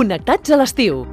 Connectats a l'estiu.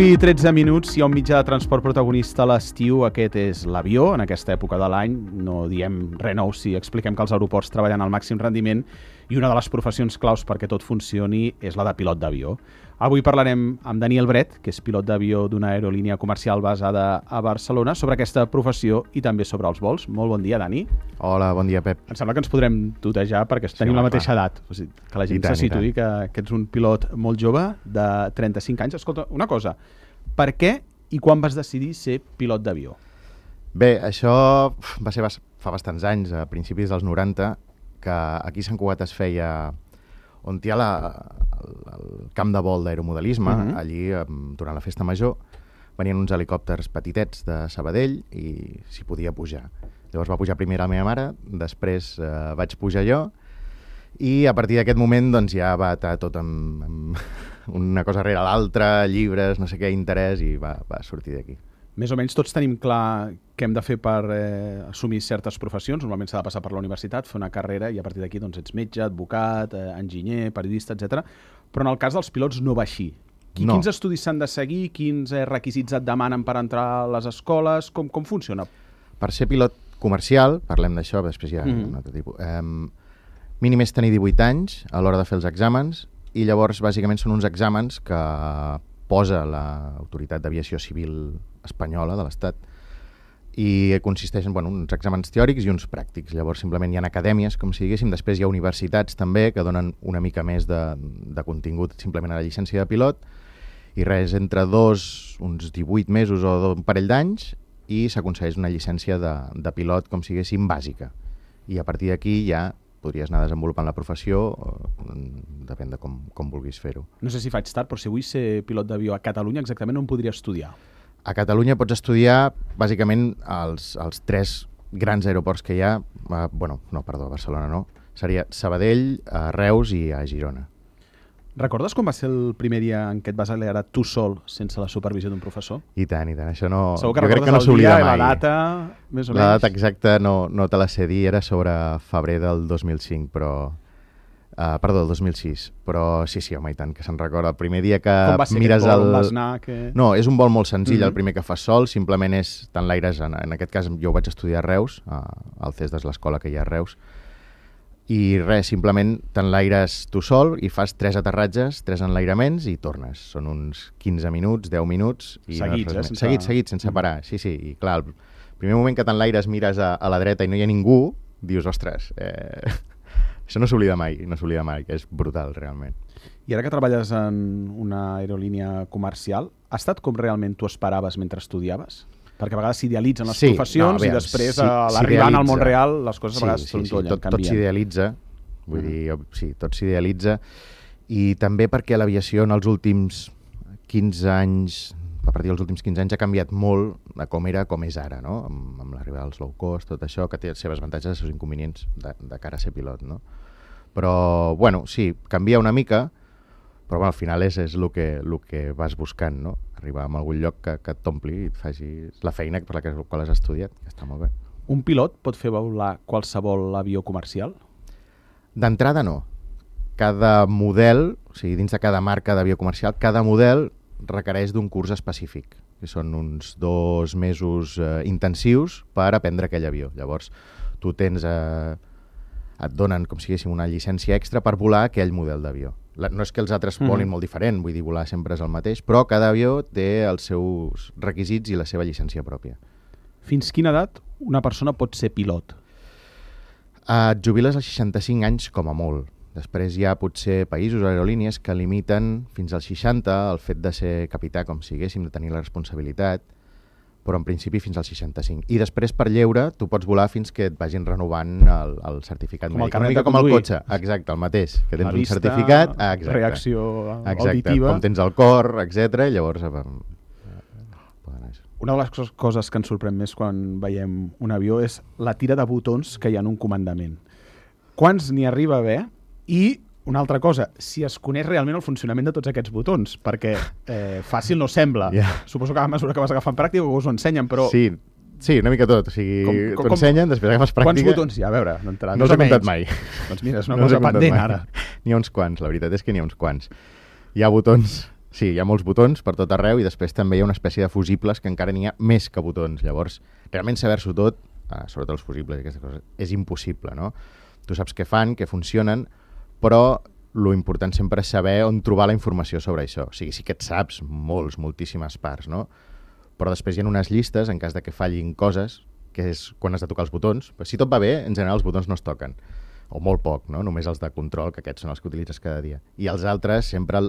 I 13 minuts, hi ha un mitjà de transport protagonista a l'estiu, aquest és l'avió. En aquesta època de l'any no diem res nou si expliquem que els aeroports treballen al màxim rendiment i una de les professions claus perquè tot funcioni és la de pilot d'avió. Avui parlarem amb Daniel Bret, que és pilot d'avió d'una aerolínia comercial basada a Barcelona, sobre aquesta professió i també sobre els vols. Molt bon dia, Dani. Hola, bon dia, Pep. Em sembla que ens podrem tutejar perquè tenim la mateixa edat. O sigui, que la gent se situï que ets un pilot molt jove de 35 anys. Escolta, una cosa, per què i quan vas decidir ser pilot d'avió? Bé, això va ser fa bastants anys, a principis dels 90, que aquí a Sant Cugat es feia, on hi ha el camp de vol d'aeromodelisme, allí, durant la festa major, venien uns helicòpters petitets de Sabadell i s'hi podia pujar. Llavors va pujar primer la meva mare, després vaig pujar jo, i a partir d'aquest moment doncs, ja va estar tot amb una cosa rere l'altra, llibres, no sé què, interès, i va sortir d'aquí. Més o menys tots tenim clar què hem de fer per assumir certes professions. Normalment s'ha de passar per la universitat, fer una carrera i a partir d'aquí doncs, ets metge, advocat, enginyer, periodista, etc. Però en el cas dels pilots no va així. No. Quins estudis s'han de seguir? Quins requisits et demanen per entrar a les escoles? Com funciona? Per ser pilot comercial, parlem d'això, després hi ha un altre tipus, mínim és tenir 18 anys a l'hora de fer els exàmens i llavors bàsicament són uns exàmens que posa l'Autoritat d'Aviació Civil Espanyola de l'Estat i consisteixen en uns exàmens teòrics i uns pràctics. Llavors simplement hi ha acadèmies, com si diguéssim, després hi ha universitats també que donen una mica més de contingut simplement a la llicència de pilot i res, entre uns 18 mesos o un parell d'anys i s'aconsegueix una llicència de pilot, com si diguéssim, bàsica. I a partir d'aquí ja podries anar desenvolupant la professió, depèn de com vulguis fer-ho. No sé si faig tard, però si vull ser pilot d'avió a Catalunya, exactament on podria estudiar? A Catalunya pots estudiar bàsicament als 3 grans aeroports que hi ha, a Barcelona no, seria Sabadell, a Reus i a Girona. Recordes com va ser el primer dia en què et vas accelerar tu sol sense la supervisió d'un professor? I tant, això no... Segur que jo crec que recordes no s'oblida mai. La data, més o menys? La data exacta no te la sé dir, era sobre febrer del 2005, però... Perdó, el 2006, però sí, home, i tant, que se'n recorda. El primer dia que com va ser mires vol, on vas anar? No, és un vol molt senzill, el primer que fas sol, simplement és tant l'aires, en aquest cas jo ho vaig estudiar a Reus, al CES de l'escola que hi ha a Reus, i res, simplement t'enlaires tu sol i fas 3 aterratges, 3 enlairaments i tornes. Són uns 15 minuts, 10 minuts... I seguits, Seguits, sense parar. Sí, i clar, el primer moment que t'enlaires mires a la dreta i no hi ha ningú, dius, ostres, això no s'oblida mai, que és brutal, realment. I ara que treballes en una aerolínia comercial, ha estat com realment tu esperaves mentre estudiaves? Perquè a vegades s'idealitzen les professions i després a l'arribant al món real les coses a vegades trontollen, canvien. Tot s'idealitza, vull dir, sí, tot s'idealitza i també perquè l'aviació en els últims 15 anys, a partir dels últims 15 anys ha canviat molt de com era com és ara, no? Amb l'arribada dels low cost, tot això, que té els seus avantatges i els seus inconvenients de cara a ser pilot, no? Però, sí, canvia una mica, però al final és el que vas buscant, no? Arribar a algun lloc que et t'ompli i et facis la feina per la qual has estudiat, que està molt bé. Un pilot pot fer volar qualsevol avió comercial? D'entrada no. Cada model, o sigui, dins de cada marca d'avió comercial, cada model requereix d'un curs específic, que són uns 2 mesos intensius per aprendre aquell avió. Llavors, tu tens... et donen, com si diguéssim, una llicència extra per volar aquell model d'avió. No és que els altres volin molt diferent, vull dir, volar sempre és el mateix, però cada avió té els seus requisits i la seva llicència pròpia. Fins quina edat una persona pot ser pilot? Et jubiles als 65 anys com a molt. Després hi ha potser països o aerolínies que limiten fins als 60 el fet de ser capità, com si diguéssim, de tenir la responsabilitat, però en principi fins al 65. I després, per lleure, tu pots volar fins que et vagin renovant el certificat com mèdic. Una mica com el cotxe, exacte, el mateix, que tens vista, un certificat, reacció exacte, auditiva. com tens el cor, etc. I llavors... Una de les coses que ens sorprèn més quan veiem un avió és la tira de botons que hi ha en un comandament. Quants n'hi arriba a haver? I una altra cosa, si es coneix realment el funcionament de tots aquests botons, perquè fàcil no sembla. Suposo que a mesura que vas agafant pràctica us ho ensenyen, però... Sí, una mica tot. O sigui, t'ho ensenyen, després agafes pràctica... Quants botons hi ha? A veure, no us he comptat mai. Doncs mira, és una cosa pendent ara. N'hi ha uns quants, la veritat és que n'hi ha uns quants. Hi ha botons... Sí, hi ha molts botons per tot arreu i després també hi ha una espècie de fusibles que encara n'hi ha més que botons. Llavors, realment saber-s'ho tot, sobretot els fusibles i aquestes coses, és impossible, no? Tu saps què fan, què funcionen, però lo important sempre és saber on trobar la informació sobre això. O sigui, sí que et saps moltíssimes parts, no? Però després hi ha unes llistes, en cas de que fallin coses, que és quan has de tocar els botons. Però si tot va bé, en general els botons no es toquen. O molt poc, no? Només els de control, que aquests són els que utilitzes cada dia. I els altres, sempre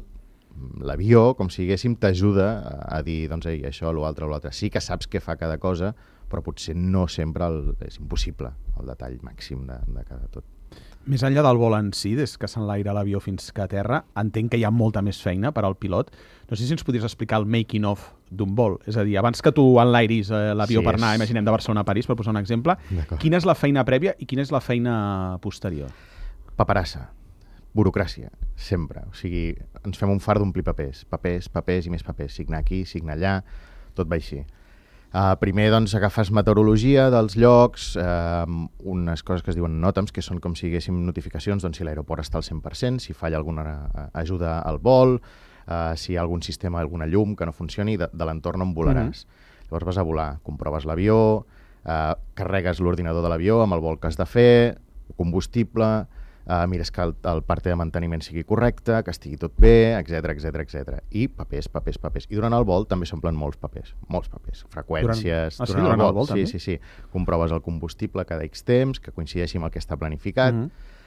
l'avió, com si diguéssim, t'ajuda a dir, doncs, això, l'altre. Sí que saps què fa cada cosa, però potser no sempre és impossible el detall màxim de cada tot. Més enllà del vol en si, des que s'enlaira l'avió fins que a terra, entenc que hi ha molta més feina per al pilot. No sé si ens podries explicar el making of d'un vol. És a dir, abans que tu enlairis l'avió per anar, imaginem, de Barcelona a París, per posar un exemple, quina és la feina prèvia i quina és la feina posterior? Paperassa. Burocràcia, sempre. O sigui, ens fem un far d'omplir papers i més papers. Signar aquí, signar allà, tot va així. Primer, doncs, agafes meteorologia dels llocs, unes coses que es diuen NOTAMs, que són com si diguéssim notificacions, doncs, si l'aeroport està al 100%, si falla alguna ajuda al vol, si hi ha algun sistema, alguna llum que no funcioni, de l'entorn on volaràs. Llavors vas a volar, comproves l'avió, carregues l'ordinador de l'avió amb el vol que has de fer, combustible... mires que el part de manteniment sigui correcte, que estigui tot bé, etc. I papers. I durant el vol també s'omplen molts papers, freqüències... Durant el vol també? Sí. Comproves el combustible cada X temps, que coincideixi amb el que està planificat,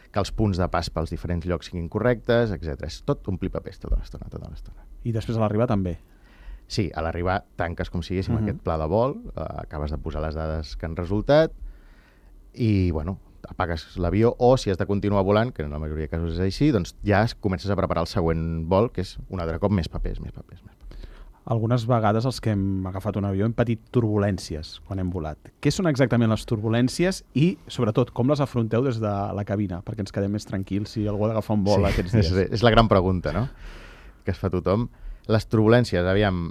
que els punts de pas pels diferents llocs siguin correctes, etc. És tot omplir papers tota l'estona. I després a l'arribar també? Sí, a l'arribar tanques com si diguéssim aquest pla de vol, acabes de posar les dades que han resultat i, bueno, apagues l'avió o, si has de continuar volant, que en la majoria de casos és així, doncs ja comences a preparar el següent vol, que és un altre cop més papers. Algunes vegades els que hem agafat un avió hem patit turbulències quan hem volat. Què són exactament les turbulències i, sobretot, com les afronteu des de la cabina? Perquè ens quedem més tranquils si algú ha d'agafar un vol aquests dies. És la gran pregunta, no?, que es fa tothom. Les turbulències, aviam...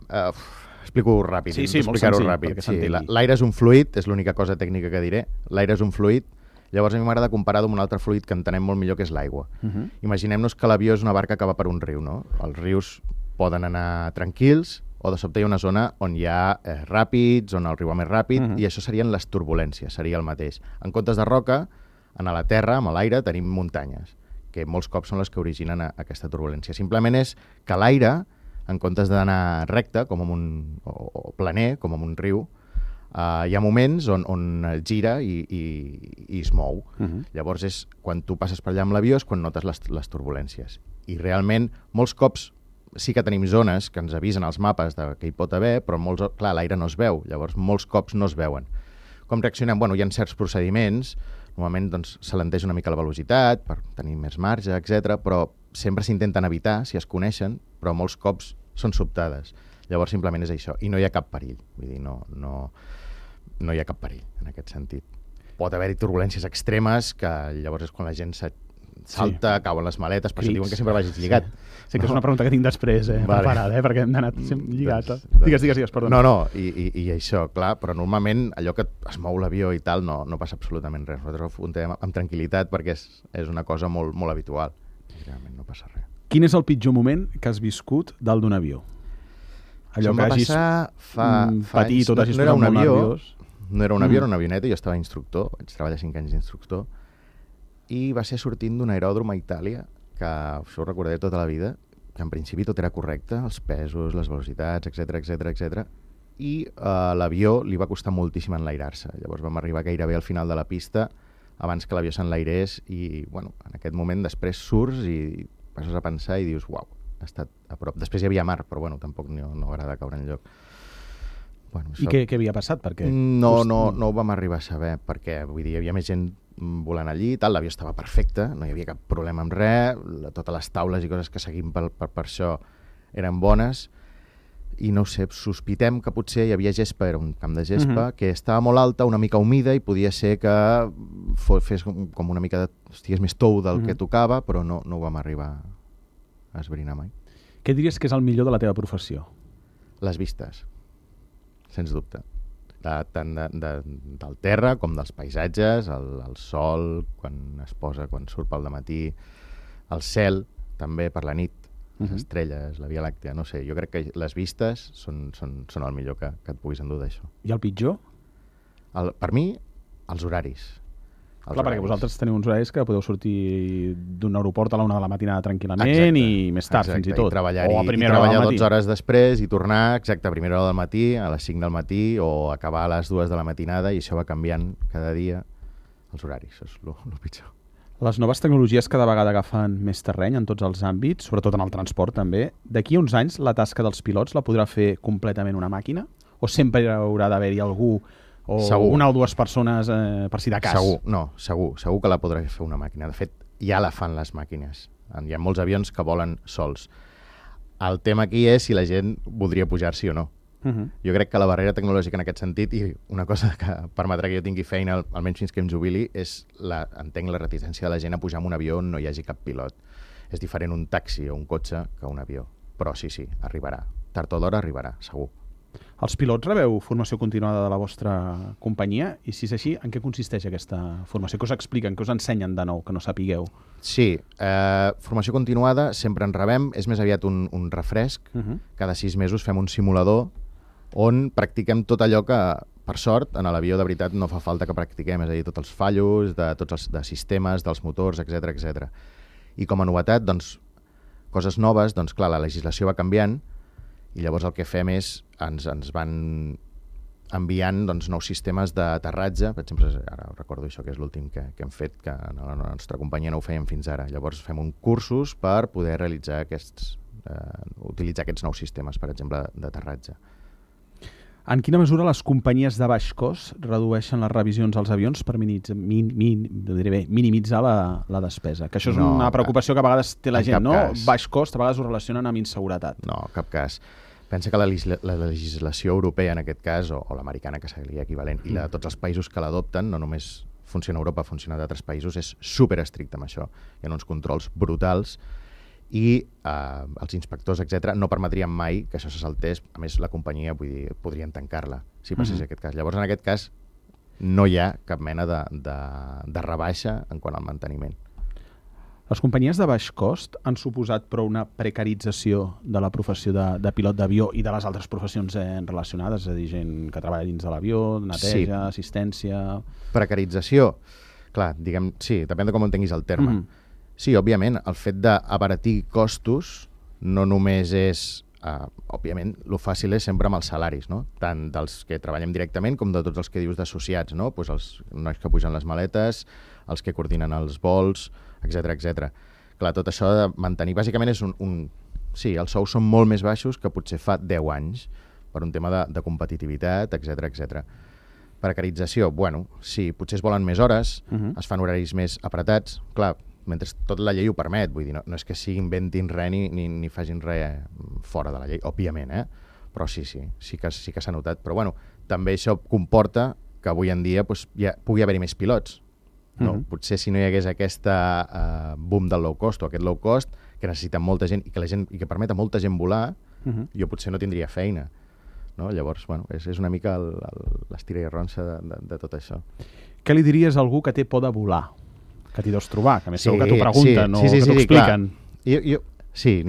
explico ràpid. Sí, molt senzill. Sí, l'aire és un fluid, és l'única cosa tècnica que diré. L'aire és un fluid. Llavors a mi m'agrada comparar-ho amb un altre fluid que entenem molt millor, que és l'aigua. Imaginem-nos que l'avió és una barca que va per un riu, no? Els rius poden anar tranquils o de sobte hi ha una zona on hi ha ràpids, on el riu va més ràpid, i això serien les turbulències, seria el mateix. En comptes de roca, a la terra, amb l'aire, tenim muntanyes, que molts cops són les que originen aquesta turbulència. Simplement és que l'aire, en comptes d'anar recte, com o planer, com en un riu, hi ha moments on gira i es mou. Llavors, quan tu passes per allà amb l'avió és quan notes les turbulències. I realment, molts cops sí que tenim zones que ens avisen als mapes que hi pot haver, però clar, l'aire no es veu. Llavors, molts cops no es veuen. Com reaccionem? Bueno, hi ha certs procediments. Normalment doncs, s'alenteix una mica la velocitat per tenir més marge, etc. Però sempre s'intenten evitar, si es coneixen, però molts cops són sobtades. Llavors, simplement és això. I no hi ha cap perill. Vull dir, no hi ha cap perill, en aquest sentit. Pot haver-hi turbulències extremes, que llavors és quan la gent salta, cauen les maletes, per això diuen que sempre vagis lligat. Sí, que és una pregunta que tinc després preparada, perquè hem d'anar lligat. Digues, perdona. No, i això, clar, però normalment allò que es mou l'avió i tal no passa absolutament res. Nosaltres ho afrontem amb tranquil·litat perquè és una cosa molt, molt habitual. Realment no passa res. Quin és el pitjor moment que has viscut dalt d'un avió? Allò que hagis patit o t'hagis posat molt nerviós. No era un avió, era una avioneta, jo estava instructor, vaig treballar 5 anys d'instructor, i va ser sortint d'un aeròdrom a Itàlia, que això ho recordaré tota la vida, que en principi tot era correcte, els pesos, les velocitats, etc. I l'avió li va costar moltíssim enlairar-se. Llavors vam arribar gairebé al final de la pista, abans que l'avió s'enlairés, i bueno, en aquest moment després surts i passes a pensar i dius, uau, ha estat a prop. Després hi havia mar, però bueno, tampoc no agrada caure enlloc. Bueno, I què havia passat? Perquè no ho vam arribar a saber, perquè vull dir, hi havia més gent volant allí, tal, l'avió estava perfecte, no hi havia cap problema amb res, totes les taules i coses que seguim per això eren bones, i no ho sé, sospitem que potser hi havia gespa, era un camp de gespa, que estava molt alta, una mica humida, i podia ser que fes com una mica estigués més tou del que tocava, però no ho vam arribar a esbrinar mai. Què diries que és el millor de la teva professió? Les vistes, sens dubte. Tant del terra com dels paisatges, el sol, quan es posa, quan surt pel dematí, el cel, també per la nit, les estrelles, la Via Làctea, no sé, jo crec que les vistes són el millor que et puguis endur d'això. I el pitjor? Per mi, els horaris. Clar, perquè vosaltres teniu uns horaris que podeu sortir d'un aeroport a la 1 de la matinada tranquil·lament i més tard, fins i tot. I treballar 12 hores després i tornar, exacte, a primera hora del matí, a les 5 del matí, o acabar a les 2 de la matinada, i això va canviant cada dia els horaris, això és el pitjor. Les noves tecnologies cada vegada agafen més terreny en tots els àmbits, sobretot en el transport també. D'aquí a uns anys la tasca dels pilots la podrà fer completament una màquina? O sempre haurà d'haver-hi algú o segur. Una o dues persones per si de cas? Segur que la podrà fer una màquina. De fet, ja la fan les màquines. Hi ha molts avions que volen sols. El tema aquí és si la gent voldria pujar-s'hi o no. Jo crec que la barrera tecnològica en aquest sentit, i una cosa que permetrà que jo tingui feina, almenys fins que em jubili, és entenc la reticència de la gent a pujar en un avió on no hi hagi cap pilot. És diferent un taxi o un cotxe que un avió. Però sí, arribarà. Tard o d'hora arribarà, segur. Els pilots rebeu formació continuada de la vostra companyia? I si és així, en què consisteix aquesta formació? Què us expliquen? Què us ensenyen de nou, que no sapigueu? Sí, formació continuada sempre en rebem, és més aviat un refresc. Cada 6 mesos fem un simulador on practiquem tot allò que, per sort, en l'avió de veritat no fa falta que practiquem, és a dir, tots els fallos, de sistemes, dels motors, etc. I com a novetat, doncs, coses noves, doncs clar, la legislació va canviant, i llavors el que fem és, ens van enviant nous sistemes d'aterratge. Per exemple, ara recordo això, que és l'últim que hem fet, que a la nostra companyia no ho fèiem fins ara. Llavors fem cursos per poder realitzar utilitzar aquests nous sistemes, per exemple, d'aterratge. En quina mesura les companyies de baix cost redueixen les revisions als avions per minimitzar la despesa? Que això és una preocupació que a vegades té la gent, no? Baix cost, a vegades ho relacionen amb inseguretat. No, en cap cas. Pensa que la legislació europea, en aquest cas, o l'americana, que seria equivalent, i la de tots els països que l'adopten, no només funciona a Europa, funciona d'altres països, és superestricte amb això. Hi ha uns controls brutals i els inspectors, etc., no permetrien mai que això se saltés. A més, la companyia, vull dir, podrien tancar-la, si passés aquest cas. Llavors, en aquest cas, no hi ha cap mena de rebaixa en quant al manteniment. Les companyies de baix cost han suposat però una precarització de la professió de pilot d'avió i de les altres professions relacionades, és a dir, gent que treballa dins de l'avió, neteja, assistència... Precarització? Clar, diguem, sí, depèn de com entenguis el terme. Sí, òbviament, el fet d'abaratir costos no només és, òbviament, el fàcil és sempre amb els salaris, no? Tant dels que treballem directament com de tots els que dius d'associats, no? Pues els nois que pugen les maletes, els que coordinen els vols, etc. Clar, tot això de mantenir, bàsicament és sí, els sous són molt més baixos que potser fa 10 anys, per un tema de competitivitat, etc. Precarització, bueno, sí, potser es volen més hores, es fan horaris més apretats, clar, mentre tot la llei ho permet, vull dir, no és que s'inventin res ni facin res fora de la llei, òbviament, però sí que s'ha notat. Però bueno, també això comporta que avui en dia ja pugui haver-hi més pilots. No? Potser si no hi hagués aquesta boom del low cost o aquest low cost, que necessita molta gent i que permet a molta gent volar, jo potser no tindria feina. No? Llavors, bueno, és una mica l'estira i arronsa de tot això. Què li diries a algú que té por de volar? Que t'hi deus trobar, que a més segur que t'ho pregunten o que t'ho expliquen.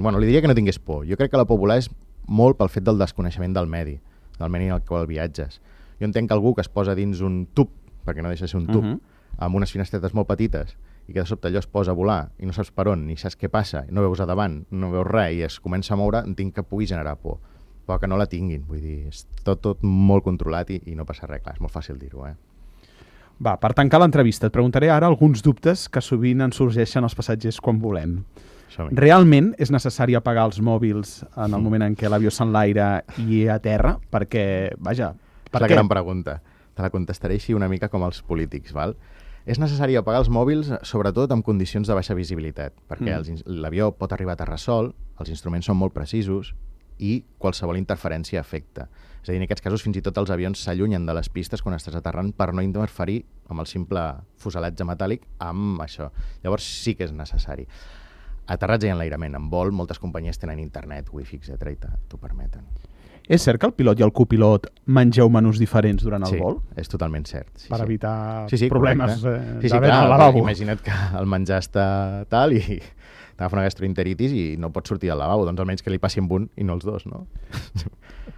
Bueno, li diria que no tingués por. Jo crec que la por volar és molt pel fet del desconeixement del medi en el qual viatges. Jo entenc que algú que es posa dins un tub, perquè no deixa de ser un tub, amb unes finestretes molt petites, i que de sobte allò es posa a volar i no saps per on, ni saps què passa, no veus a davant, no veus res, i es comença a moure, entenc que pugui generar por. Però que no la tinguin, vull dir, és tot molt controlat i no passa res, clar, és molt fàcil dir-ho, Va, per tancar l'entrevista, et preguntaré ara alguns dubtes que sovint ens sorgeixen als passatgers quan volem. Realment és necessari apagar els mòbils en el moment en què l'avió s'enlaira i a terra? Perquè, vaja, per què? És la què? gran pregunta. Te la contestaré així una mica com els polítics, val? És necessari apagar els mòbils, sobretot en condicions de baixa visibilitat, perquè l'avió pot arribar a terra sol, els instruments són molt precisos i qualsevol interferència afecta. És a dir, en aquests casos fins i tot els avions s'allunyen de les pistes quan estàs aterrant per no interferir amb el simple fuselatge metàl·lic amb això. Llavors sí que és necessari. Aterratge i enlairament. En vol, moltes companyies tenen internet, wifi, etc. i t'ho permeten. És cert que el pilot i el copilot mengeu menús diferents durant el vol? Sí, és totalment cert. Sí, per evitar sí, problemes d'haver al lavabo. Imagina't que el menjar està tal i t'agafa una gastroenteritis i no pots sortir del lavabo, doncs almenys que li passi amb un i no els dos, no?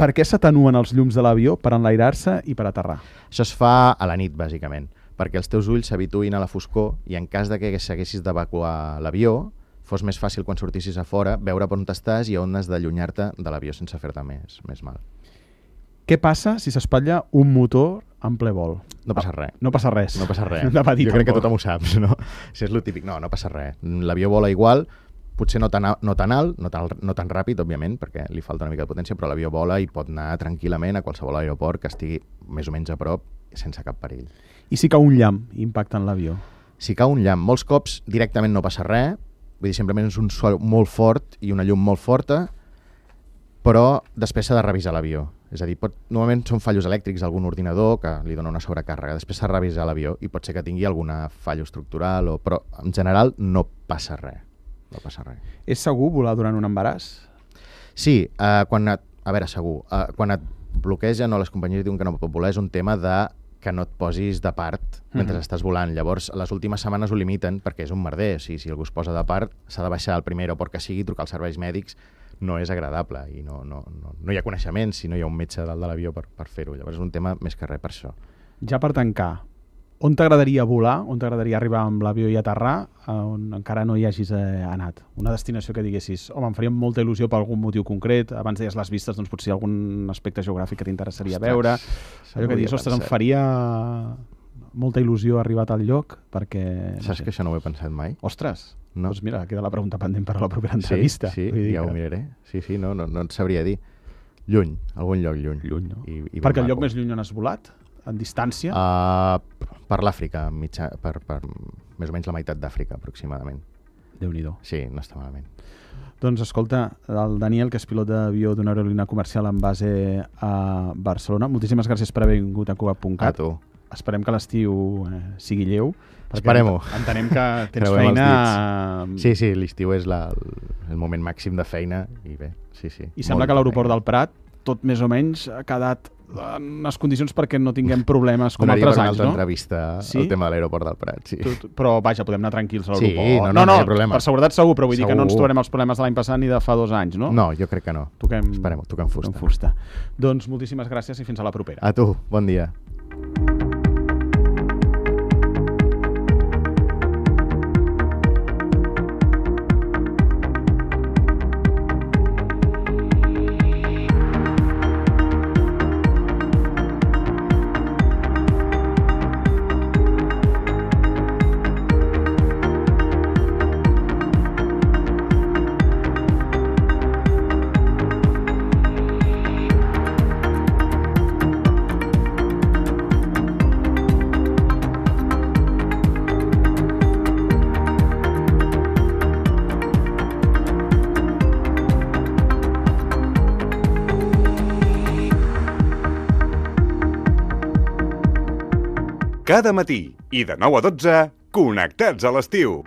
Per què s'atenuen els llums de l'avió? Per enlairar-se i per aterrar? Això es fa a la nit, bàsicament, perquè els teus ulls s'habituïn a la foscor i en cas de que s'haguessis d'evacuar l'avió, fos més fàcil quan sortissis a fora veure per on estàs i on has d'allunyar-te de l'avió sense fer-te més mal. Què passa si s'espatlla un motor en ple vol? No passa res. No passa res. No passa res. Jo crec que tothom ho saps, no? Si és lo típic, no passa res. L'avió vola igual, potser no tan alt, no tan ràpid, òbviament, perquè li falta una mica de potència, però l'avió vola i pot anar tranquil·lament a qualsevol aeroport que estigui més o menys a prop sense cap perill. I si cau un llamp impactant l'avió? Si cau un llamp, molts cops directament no passa res, vull dir, simplement és un sol molt fort i una llum molt forta, però després s'ha de revisar l'avió. És a dir, normalment són fallos elèctrics d'algun ordinador que li dona una sobrecàrrega. Després s'ha de revisar l'avió i pot ser que tingui alguna fallo estructural, però en general no passa res. No passa res. És segur volar durant un embaràs? Sí, quan et bloquegen o les companyies diuen que no pot volar és un tema de que no et posis de part mentre estàs volant. Llavors, les últimes setmanes ho limiten perquè és un merder. O sigui, si algú es posa de part, s'ha de baixar al primer aeroport que sigui, trucar als serveis mèdics, no és agradable i no hi ha coneixements si no hi ha un metge dalt de l'avió per fer-ho. Llavors és un tema més que res per això. Ja per tancar, on t'agradaria volar, on t'agradaria arribar amb l'avió i aterrar, on encara no hi hagis anat? Una destinació que diguessis, home, em faria molta il·lusió per algun motiu concret, abans deies les vistes, doncs potser algun aspecte geogràfic que t'interessaria veure. Allò que digues, ostres, em faria molta il·lusió arribar a tal lloc, perquè... Saps que això no ho he pensat mai? Ostres, no. Doncs mira, queda la pregunta pendent per a la propera entrevista. Sí, ja ho miraré. Sí, no et sabria dir. Lluny, algun lloc lluny. Lluny, no? Perquè el lloc més lluny on has volat? En distància? Per l'Àfrica, per més o menys la meitat d'Àfrica, aproximadament. Déu-n'hi-do. Sí, no està malament. Doncs escolta, el Daniel, que és pilot d'avió d'una aerolínia comercial amb base a Barcelona, moltíssimes gràcies per haver vingut a Cugat.cat. A tu. Esperem que l'estiu sigui lleu. Esperem-ho. Entenem que tens feina... Sí, l'estiu és el moment màxim de feina i bé, sí. I sembla que l'aeroport del Prat tot més o menys ha quedat en les condicions perquè no tinguem problemes com altres anys, no? Donaria per una altra entrevista el tema de l'aeroport del Prat, sí. Però vaja, podem anar tranquils a l'aeroport. Sí, no hi ha problema. Per seguretat segur, però vull dir que no ens trobarem els problemes de l'any passat ni de fa 2 anys, no? No, jo crec que no. Esperem, toquem fusta. Doncs moltíssimes gràcies i fins a la propera. A tu, bon dia. Cada matí i de 9 a 12, connectats a l'estiu.